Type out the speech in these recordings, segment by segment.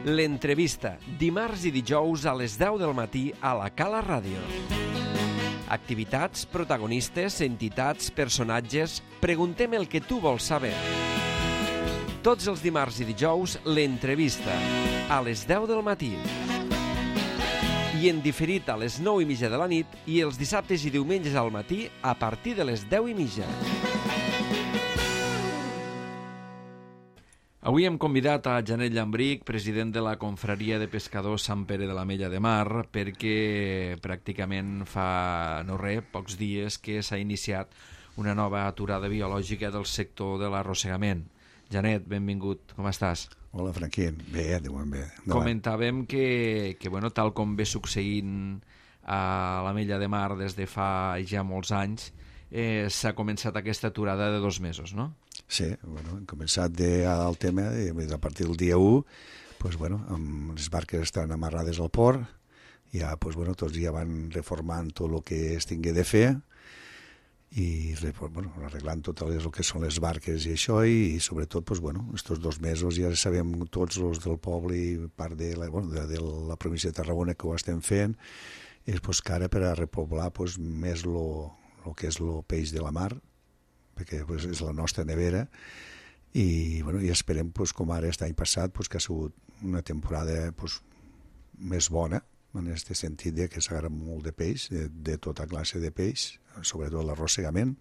L'entrevista, dimarts i dijous a les 10 del matí a la Cala Ràdio. Activitats, protagonistes, entitats, personatges... Preguntem el que tu vols saber. Tots els dimarts i dijous, l'entrevista, a les 10 del matí. I en diferit a les 9:30 de la nit i els dissabtes i diumenges al matí a partir de les 10:30. Avui hem convidat a Janet Llambrich, president de la Confraria de Pescadors Sant Pere de l'Ametlla de Mar, perquè pràcticament fa pocs dies que s'ha iniciat una nova aturada biològica del sector de l'arrossegament. Janet, benvingut, com estàs? Hola, Franquín. Bé, diuen bé. Comentàvem que tal com ve succeint a l'Ametlla de Mar des de fa ja molts anys, s'ha començat aquesta aturada de 2 mesos, no? Sí, hem començat el tema a partir del dia 1, amb les barques estan amarrades al port, ja, tots ja van reformant tot el que es tingué de fer i arreglant tot el que són les barques i això, i sobretot, estos 2 mesos ja sabem tots els del poble i part de la província de Tarragona que ho estem fent, és que ara per a repoblar més el que és el peix de la mar, perquè és la nostra nevera, i esperem, com ara aquest any passat, que ha sigut una temporada més bona, en aquest sentit que s'agarra molt de peix, de tota classe de peix, sobretot l'arrossegament,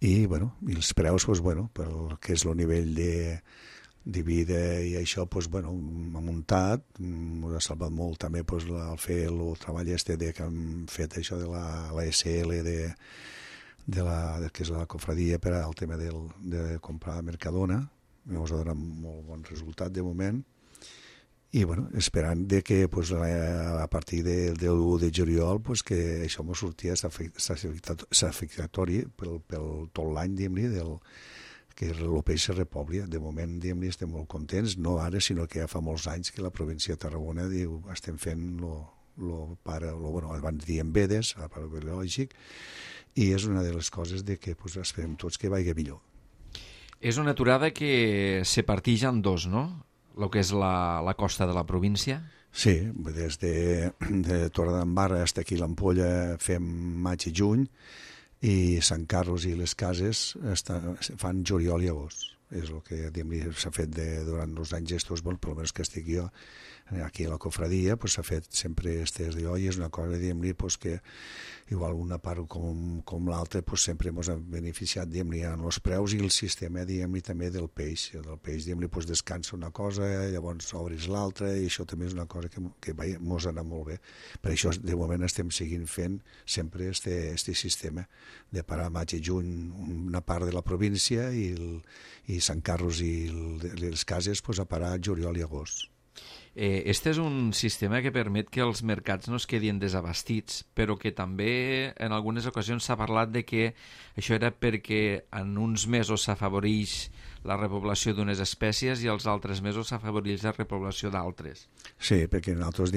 i els preus, pel que és el nivell de vida i això, ha muntat, ens ha salvat molt també el fer el treball que han fet això de la SL que és la confraria per al tema de comprar Mercadona, ens ha donat molt bon resultat de moment, i esperant que a partir del 1 de juliol que això ens sortia satisfactori per tot l'any, que el peix se repobli. De moment estem molt contents, no ara, sinó que ja fa molts anys que la província de Tarragona estem fent abans diem vedes, el pare biològic, i és una de les coses que esperem tots que vagi millor. És una aturada que se partix en 2, no? El que és la costa de la província? Sí, des de Torredembarra fins aquí l'Ampolla fem maig i juny, i Sant Carlos i les Cases fan juliol i agost. És el que s'ha fet durant els anys estos, per almenys que estic jo aquí a la confradia, s'ha fet sempre estes d'allò, i és una cosa que igual una part com l'altra sempre ens ha beneficiat en els preus i el sistema també del peix. El peix descansa una cosa, llavors obris l'altra, i això també és una cosa que ens ha anat molt bé. Per això de moment estem seguint fent sempre este sistema de parar maig i juny una part de la província i Sant Carlos i les Cases a parar juliol i agost. Este és un sistema que permet que els mercats no es quedin desabastits, però que també en algunes ocasions s'ha parlat de que això era perquè en uns mesos s'afavoreix la repoblació d'unes espècies i els altres mesos s'afavoreix la repoblació d'altres. Sí, perquè nosaltres,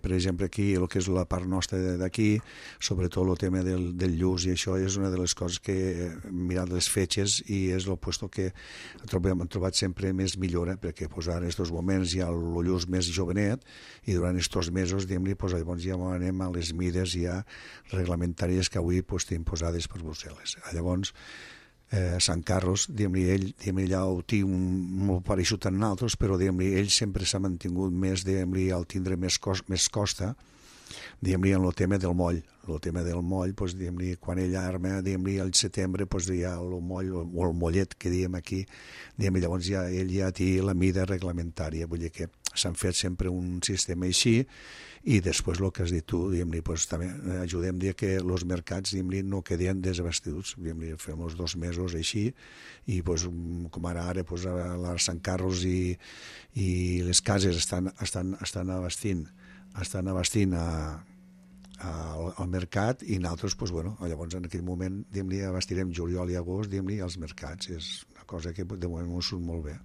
per exemple, aquí, el que és la part nostra d'aquí, sobretot el tema del lluç i això és una de les coses que hem mirat les fetges i és el lloc que hem trobat sempre més millora, perquè ara en aquests moments hi ha el lluç més jovenet i durant aquests mesos llavors ja anem a les mides ja reglamentàries que avui tenim posades per Brussel·les. Llavors Sant Carlos, ell ja ho té molt pareixut en altres, però ell sempre s'ha mantingut més al tindre més costa en el tema del moll. El tema del moll, quan ell arma, al setembre, hi ha el moll, o el mollet que diem aquí, llavors ell ja té la mida reglamentària, vull dir que s'han fet sempre un sistema així, i després el que has dit tu, també ajudem que els mercats no quedin desabastits, fem els 2 mesos així, i com ara a Sant Carlos i les Cases estan abastint al mercat, i nosaltres llavors en aquell moment abastirem juliol i agost als mercats. És una cosa que de moment ens surt molt bé.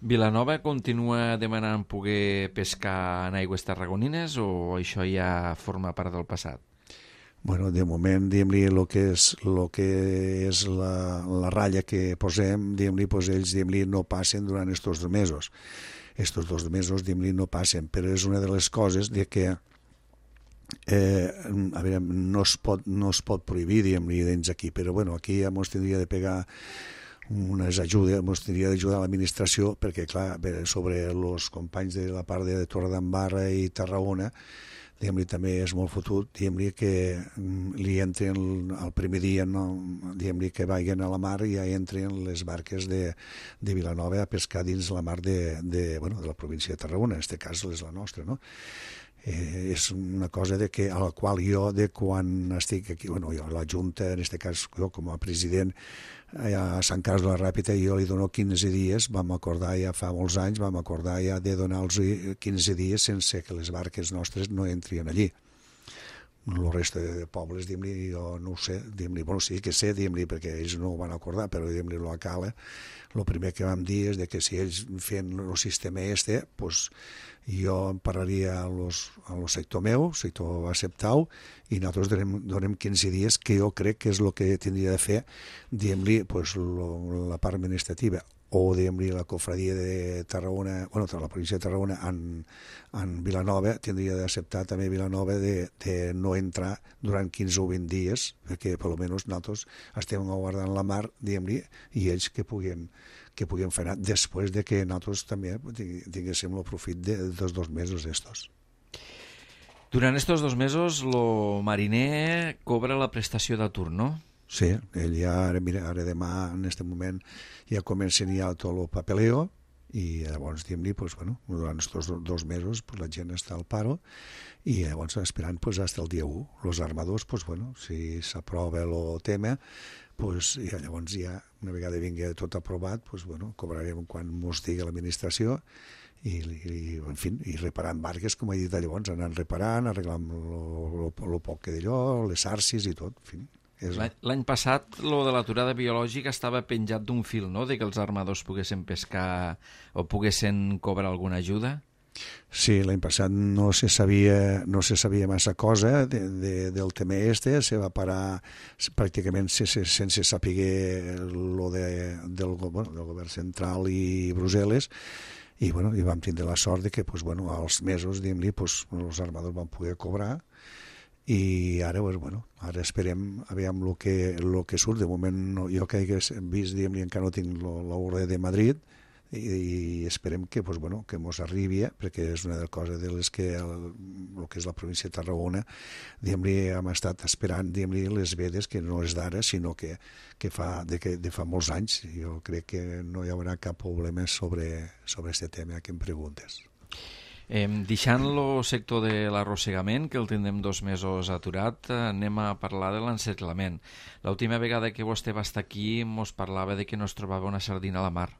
Vilanova continua demanant poder pescar en aigües tarragonines o això ja forma part del passat? De moment, el que és la ratlla que posem, ells no passen durant aquests 2 mesos. estos 2 mesos, diguem-li, no passen, però és una de les coses de que a veure, no es pot prohibir, diguem-li, dins aquí, però bueno, aquí ja ens tindria de pegar unes ajudes, ens tindria d'ajudar l'administració, perquè clar, sobre els companys de la part de Torredembarra i Tarragona, diguem-li, també és molt fotut, diguem-li, que li entren el primer dia, no, diguem-li, que vagin a la mar i ja entren les barques de Vilanova a pescar dins la mar de la província de Tarragona, en aquest cas és la nostra, no? És una cosa a la qual jo, quan estic aquí, jo, la Junta, en aquest cas jo com a president a Sant Carles de la Ràpita, jo li dono 15 dies, vam acordar ja fa molts anys, ja de donar-los 15 dies sense que les barques nostres no entrien allí. El resta de pobles, diguem-li, jo no ho sé, diguem-li, bueno, sí que sé, diguem-li, perquè ells no ho van acordar, però diguem-li, la Cala, el primer que vam dir és que si ells feien el sistema pues, jo em parlaria al sector meu, el sector va acceptar-ho, i nosaltres donem 15 dies, que jo crec que és el que tindria de fer, diguem-li, pues, la part administrativa, o diguem-li la cofradia de Tarragona, la província de Tarragona en Vilanova, tindria d'acceptar també Vilanova de no entrar durant 15 o 20 dies, perquè per almenys nosaltres estem guardant la mar, diguem-li, i ells que puguin fer anar després de que nosaltres també tinguéssim el profit dels 2 mesos estos. Durant estos 2 mesos el mariner cobra la prestació d'atur, no? Sí, ell ja, ara demà, en aquest moment, ja comencen ja tot el papeleo i llavors, diguem-li, durant aquests 2 mesos la gent està al paro i llavors esperant fins al dia 1. Els armadors, si s'aprova el tema, llavors ja, una vegada vingui tot aprovat, cobrarem quan ens digui l'administració i reparant barques, com he dit llavors, anant reparant, arreglant el poc que d'allò, les arcis i tot, en fi. L'any passat, lo de l'aturada biològica estava penjat d'un fil, no?, de que els armadors poguessin pescar o poguessin cobrar alguna ajuda? Sí, l'any passat no se sabia massa cosa del tema se va parar pràcticament sense saber del govern central i Brussel·les, i vam tindre la sort de que als mesos, diguem-li, els armadors van poder cobrar. I ara, ara esperem aviam el que surt. De moment, jo que he vist, diguem-li, encara no tinc l'ordre de Madrid i esperem que mos arribi, perquè és una de les coses de les que el que és la província de Tarragona, diguem-li, hem estat esperant, diguem-li, les vedes, que no és d'ara, sinó que de fa molts anys. Jo crec que no hi haurà cap problema sobre aquest tema que em preguntes. Deixant el sector de l'arrossegament, que el tindrem 2 mesos aturat, anem a parlar de l'encerclament. L'última vegada que vostè va estar aquí mos parlava de que no es trobava una sardina a la mar.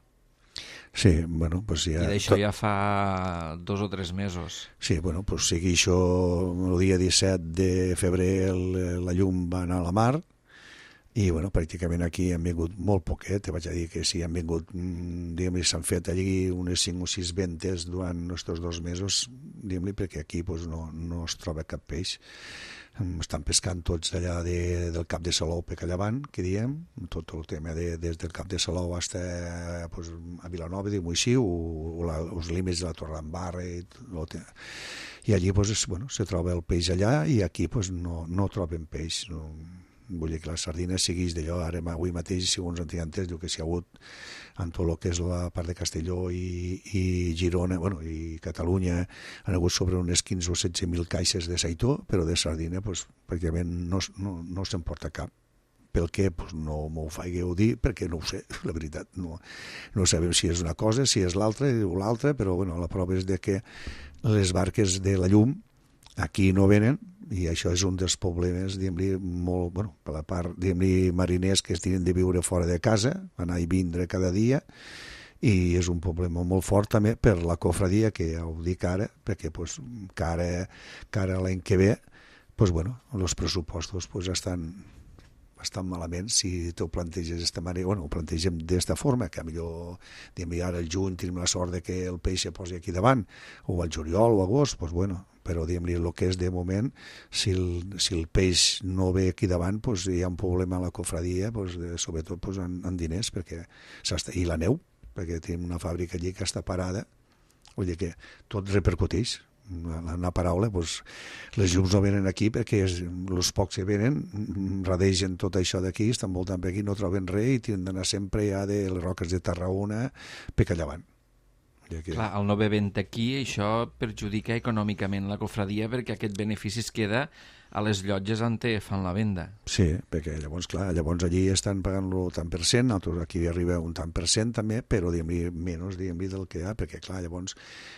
Sí, ja... I d'això ja fa 2 o 3 mesos. Sí, sigui això, el dia 17 de febrer la llum va anar a la mar, i pràcticament aquí han vingut molt poquet, te vaig a dir que sí, han vingut, diguem-li, s'han fet allí unes 5 o 6 ventes durant aquests 2 mesos, diguem-li, perquè aquí no es troba cap peix. Estan pescant tots allà del Cap de Salou per allà avant, que diem, tot el tema des del Cap de Salou fins a Vilanova, diguem-ho així, o els límits de la Torredembarra, i allí se troba el peix allà, i aquí no troben peix. Vull dir que la sardina segueix d'allò. Ara avui mateix, segons antigament, diu que s'hi ha hagut en tot el que és la part de Castelló i Girona, i Catalunya, han hagut sobre unes 15 o 16.000 caixes de seitó, però de sardina pràcticament no se'n porta cap. Pel què? No m'ho faigueu dir, perquè no ho sé, la veritat. No sabem si és una cosa, si és l'altra o l'altra, però la prova és que les barques de la llum aquí no venen, i això és un dels problemes, diguem-li, molt, per la part, diguem-li, mariners que es tenen de viure fora de casa, anar i vindre cada dia, i és un problema molt fort també per la cofradia, que ja ho dic ara, perquè cara l'any que ve, els pressupostos estan malament. Si tu ho planteges d'esta manera, ho plantegem d'esta forma, que millor, diguem-li, ara al juny tenim la sort de que el peix se posi aquí davant, o al juliol o agost, però diguem-li, el que és de moment, si el peix no ve aquí davant, hi ha un problema a la cofradia, sobretot en diners, i la neu, perquè tenim una fàbrica allí que està parada, vull dir que tot repercuteix. Una paraula, doncs, les llums no venen aquí perquè els pocs que venen radegen tot això d'aquí, estan voltant per aquí, no troben res i tenen d'anar sempre ja de les roques de Tarragona per allà avant. Clar, al no haver vent aquí, això perjudica econòmicament la cofradia perquè aquest benefici es queda a les llotges on fan la venda. Sí, perquè llavors, clar, allí estan pagant-lo tant per cent, nosaltres aquí arriba un tant per cent també, però diguem-li menys del que hi ha, perquè clar, llavors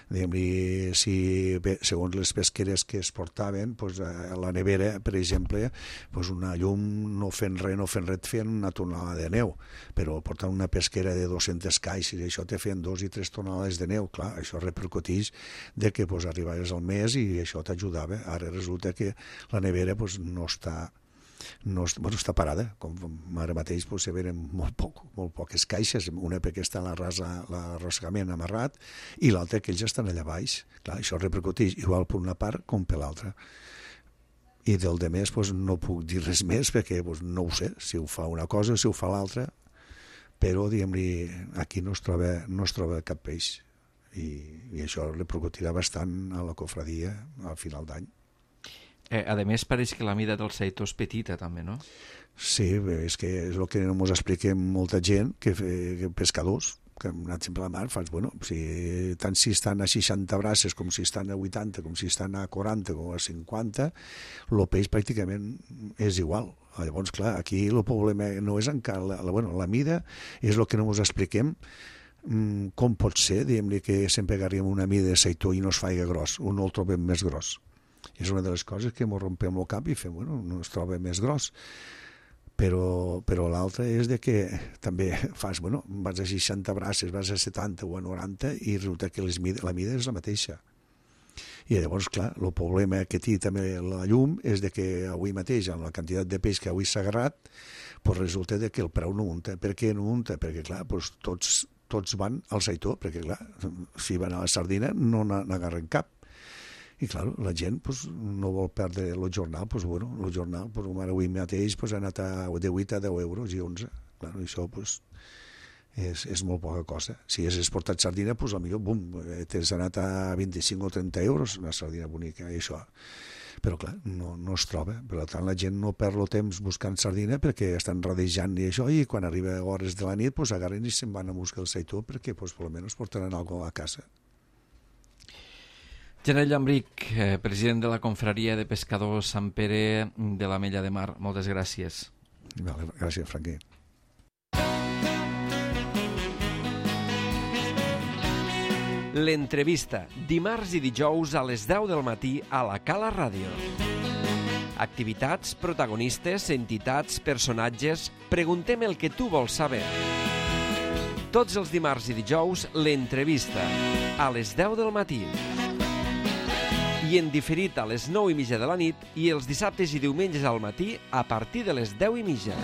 diguem-li, segons les pesqueres que es portaven, doncs, a la nevera, per exemple, doncs una llum no fent res et feien una tonelada de neu, però portant una pesquera de 200 caixes i això te feien 2 i 3 tonelades de neu, clar, això repercuteix de que doncs, arribaves al mes i això t'ajudava. Ara resulta que la nevera doncs, no està parada, com ara mateix doncs, se venen molt poques caixes, una perquè està l'arrossegament amarrat i l'altra que ells estan allà baix. Clar, això repercuteix igual per una part com per l'altra. I del de més doncs, no puc dir res més perquè doncs, no ho sé, si ho fa una cosa o si ho fa l'altra, però diguem-li, aquí no es troba cap peix i això repercutirà bastant a la cofradia al final d'any. A més, pareix que la mida del seitó és petita, també, no? Sí, és que és el que no ens expliquem molta gent, que pescadors, que hem anat sempre a la mar, tant si estan a 60 braces, com si estan a 80, com si estan a 40, com a 50, el peix pràcticament és igual. Llavors, clar, aquí el problema no és encara... La mida és el que no ens expliquem, com pot ser, diguem-li, que sempre agarrim una mida de seitó i no es faig gros, o no el trobem més gros. És una de les coses que ens rompem el cap i fem, no es troba més gros. Però l'altra és de que també vas a 60 braces, vas a 70 o a 90 i resulta que la mida és la mateixa. I llavors, clar, el problema que té també la llum és de que avui mateix, amb la quantitat de peix que avui s'ha agarrat, doncs resulta que el preu no unta. Per què no unta? Perquè, clar, doncs tots van al seitó, perquè, clar, si van a la sardina no n'agarren cap. I, clar, la gent no vol perdre el jornal. El jornal, avui mateix, ha anat de 8 a 10 euros i 11. Clar, això és molt poca cosa. Si has exportat sardina, potser, t'has anat a 25 o 30 euros, una sardina bonica, i això. Però, clar, no es troba. Per tant, la gent no perd el temps buscant sardina perquè estan radejant i això, i quan arriba a hores de la nit, agarren i se'n van a buscar el seitó perquè, almenys, portaran alguna cosa a casa. General Llambrich, president de la Confraria de Pescadors Sant Pere de l'Ametlla de Mar, moltes gràcies. Gràcies, Franqui. L'entrevista, dimarts i dijous a les 10 del matí a la Cala Ràdio. Activitats, protagonistes, entitats, personatges... Preguntem el que tu vols saber. Tots els dimarts i dijous, l'entrevista, a les 10 del matí. I en diferit a les 9:30 de la nit i els dissabtes i diumenges al matí a partir de les 10:30.